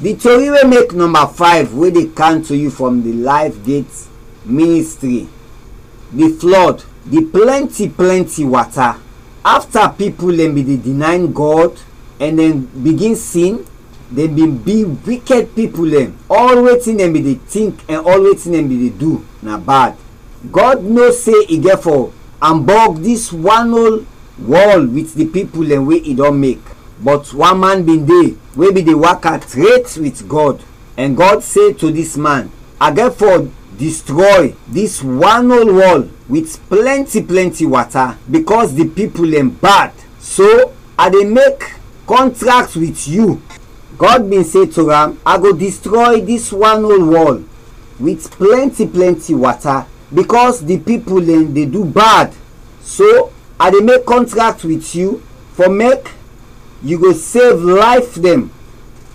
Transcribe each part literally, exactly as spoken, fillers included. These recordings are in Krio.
Di tori wey make nɔmba five wey dey kam to yu from di Life Gate Ministry, di flɔd, di plɛnti plɛnti wata. Afta pipul dɛn bin de dinayn Gɔd ɛn dɛn bigin sin, dɛn bin bi wikɛd pipul dɛn. Ɔl wetin dɛn bin de tink ɛn ɔl wetin dɛn bin de du na bad. Gɔd no se i gɛt fɔ ambɔg dis wan ol wɔl wit di pipul dɛn we i dɔn mek. Bɔt wan man bin de we bin de waka tret wit Gɔd, ɛn Gɔd se to dis man, "A gɛt fɔ distrɔy dis wan ol wɔl wit plɛnti plɛnti wata, bikɔs di pipul dɛn bad. So, a de mek kɔntrakt wit yu." Gɔd bin se to am, "A go distrɔy dis wan ol wɔl wit plɛnti plɛnti wata, bikɔs di pipul dɛn de du bad. So, a de mek kɔntrakt wit yu fɔ mek yu go sev layf dɛn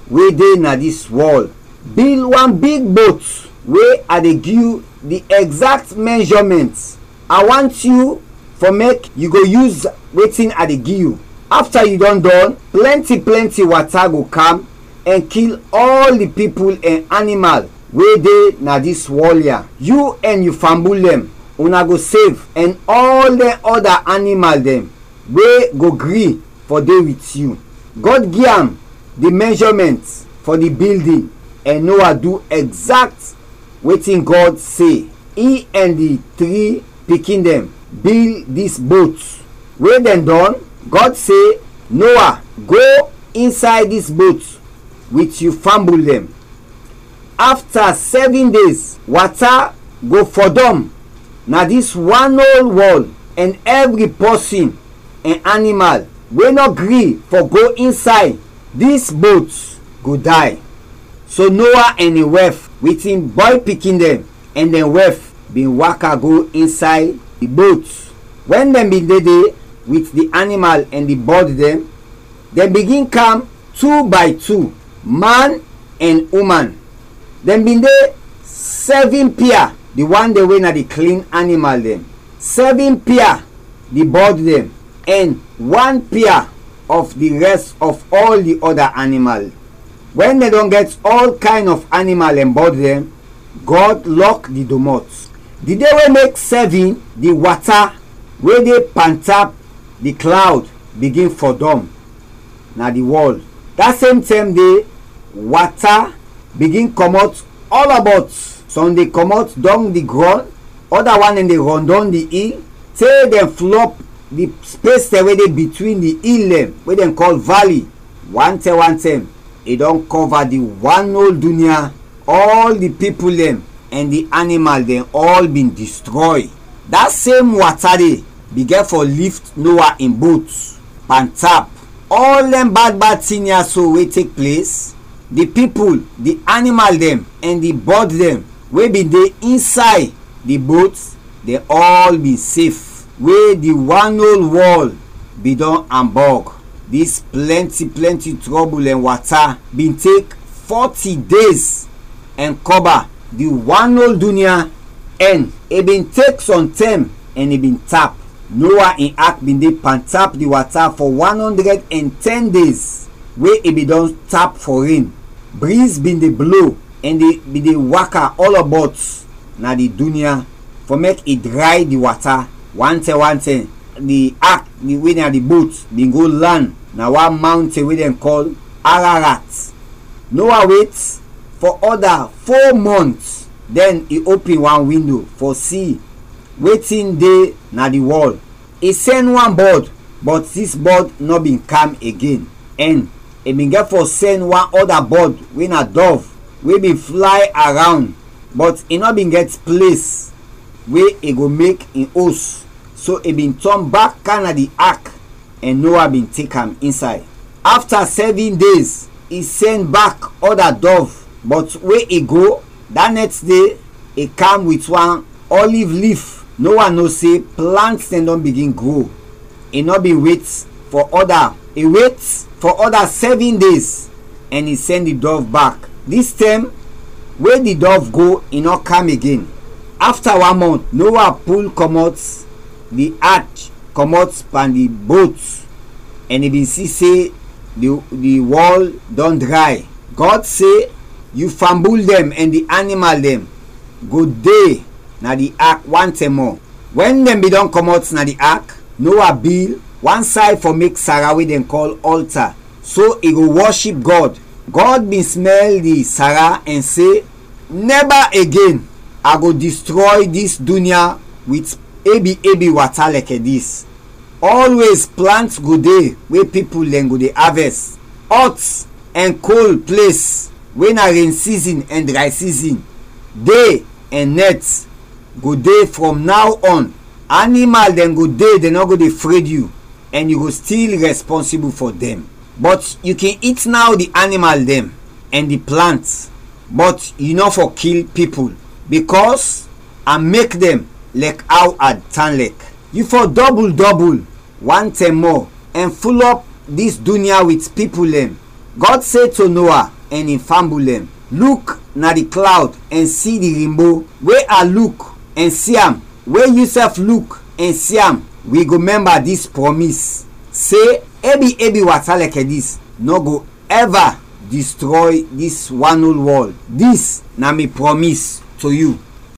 we de na dis wɔl. Bil wan big bot we a de gi yu di ɛgzakt mɛnjɔmɛnt. A want yu fɔ mek yu go yus wetin a de gi yu. Afta yu dɔn dɔn, plɛnti plɛnti wata go kam ɛn kil ɔl di pipul ɛn animal we de na dis wɔl ya. Yu ɛn yu fambul dɛn, una go sev, ɛn ɔl dɛn ɔda animal dɛn we go gri fɔ de wit yu." Gɔd gi am di mɛnjɔmɛnt fɔ di bildin, ɛn Noa du ɛgzakt wetin Gɔd se. I ɛn di tri pikin dɛn bil dis bot. We dɛn dɔn, Gɔd se, "Noa, go insay dis bot wit yu fambul dɛn." Afta sɛvin dez, wata go fɔdɔm na dis wan ol wɔl, ɛn ɛvri pɔsin ɛn animal we nɔ gri fɔ go insay dis bot go day. So Noa ɛn in wɛf wit in bɔy pikin dɛn ɛn dɛn wɛf bin waka go insay di bot. Wɛn dɛn bin de de wit di animal ɛn di bɔd dɛn, dɛn bigin kam tu bay tu, man ɛn uman. Dɛn bin de sɛvin pia, di wan dɛn we na di klin animal dɛn, sɛvin pia di bɔd dɛn, ɛn wan pia of di rɛs of ɔl di ɔda animal. Wɛn dɛn dɔn gɛt ɔl kayn of animal ɛn bɔd dɛn, Gɔd lɔk di domɔt. Di de we mek sɛvin, di wata we de pantap di klawd bigin fɔdɔm na di wɔl. Da sem tɛm de, wata bigin kɔmɔt ɔlɔbɔt. Sɔm de kɔmɔt dɔng di grɔn, ɔda wan dɛn de rɔndɔn di il, te dɛn flɔp di spes dɛn we de bitwin di il dɛn we dɛn kɔl vali. Wantɛm wantɛm, i dɔn kɔva di wan ol dunya. Ɔl di pipul dɛn ɛn di animal dɛn ɔl bin distrɔy. Da sem wata de bigɛn fɔ lift Noa in bot pantap. Ɔl dɛn bad bad tin ya so we tek ples, di pipul, di animal dɛn ɛn di bɔd dɛn we bin de insay di bot, dɛn ɔl bin sef, we di wan ol wɔl bin dɔn ambɔg. Dis plɛnti plɛnti trɔbul ɛn wata bin tek fɔti dez ɛn kɔba di wan ol dunya, ɛn i bin tek sɔm tɛm ɛn i bin tap. Noa in ak bin de pantap di wata fɔ wan ɔndrɛd ɛn tɛn dez, we i bin dɔn tap fɔ ren. Briz bin de blo, ɛn dɛn bin de waka ɔlɔbɔt na di dunya fɔ mek i dray di wata. Wantɛm wantɛm, di ak, di, we na di bot, bin go lan na wan mawnten we dɛn kɔl Ararat. Noa wet fɔ ɔda fo mɔnt, dɛn i opin wan windo fɔ si wetin de na di wɔl. I sɛn wan bɔd, bɔt dis bɔd nɔ bin kam igen, ɛn i bin gɛt fɔ sɛn wan ɔda bɔd we na dɔv, we bin flay arawnd, bɔt i nɔ bin gɛt ples we i go mek in os, so i bin tɔn bak kam na di ak, ɛn Noa bin tek am insay. Afta sɛvin dez, i sɛn bak ɔda dɔv, bɔt we i go, da nɛks de, i kam wit wan ɔliv lif. Noa no se plant dɛn dɔn bigin gro. I nɔ bin wet fɔ ɔda, i wet fɔ ɔda sɛvin dez, ɛn i sɛn di dɔv bak. Dis tɛm we di dɔv go, i nɔ kam igen. Afta wan mɔnt, Noa pul kɔmɔt di ach kɔmɔt pan di bot, ɛn i bin si se di, di wɔl dɔn dray. Gɔd se, yu fambul dɛn ɛn di animal dɛn go de na di ak wan tɛm mɔ. Wɛn dɛn bin dɔn kɔmɔt na di ak, Noa bil wan say fɔ mek Sara we dɛn kɔl ɔlta, so i go wɔship Gɔd. Gɔd bin smɛl di Sara ɛn se, nɛba agen a go distrɔy dis dunya wit ebi ebi wata lɛkɛ dis. Ɔlwez plant go de we pipul dɛn go de avɛs, ɔt ɛn kol ples we na ren sizin ɛn dray sizin, de ɛn nɛt go de frɔm naw ɔn. Animal dɛn go de, dɛn nɔ go de fred yu, ɛn yu go stil rɛspɔnsibul fɔ dɛn. Bɔt yu kin it naw di animal dɛn ɛn di plant, bɔt yu nɔ fɔ kil pipul, bikɔs a mek dɛn lɛk aw a tan lɛk. Yu fɔ dɔbul dɔbul wan tɛm mɔ ɛn fulɔp dis dunya wit pipul dɛn. Gɔd se to Noa ɛn in fambul dɛn, luk na di klawd ɛn si di rinbo. We a luk ɛn si am, we yusɛf luk ɛn si am, wi go mɛmba dis prɔmis, se ebi ebi wata lɛkɛ dis nɔ go ɛva distrɔy dis wan ol wɔl. Dis na mi prɔmis to yu.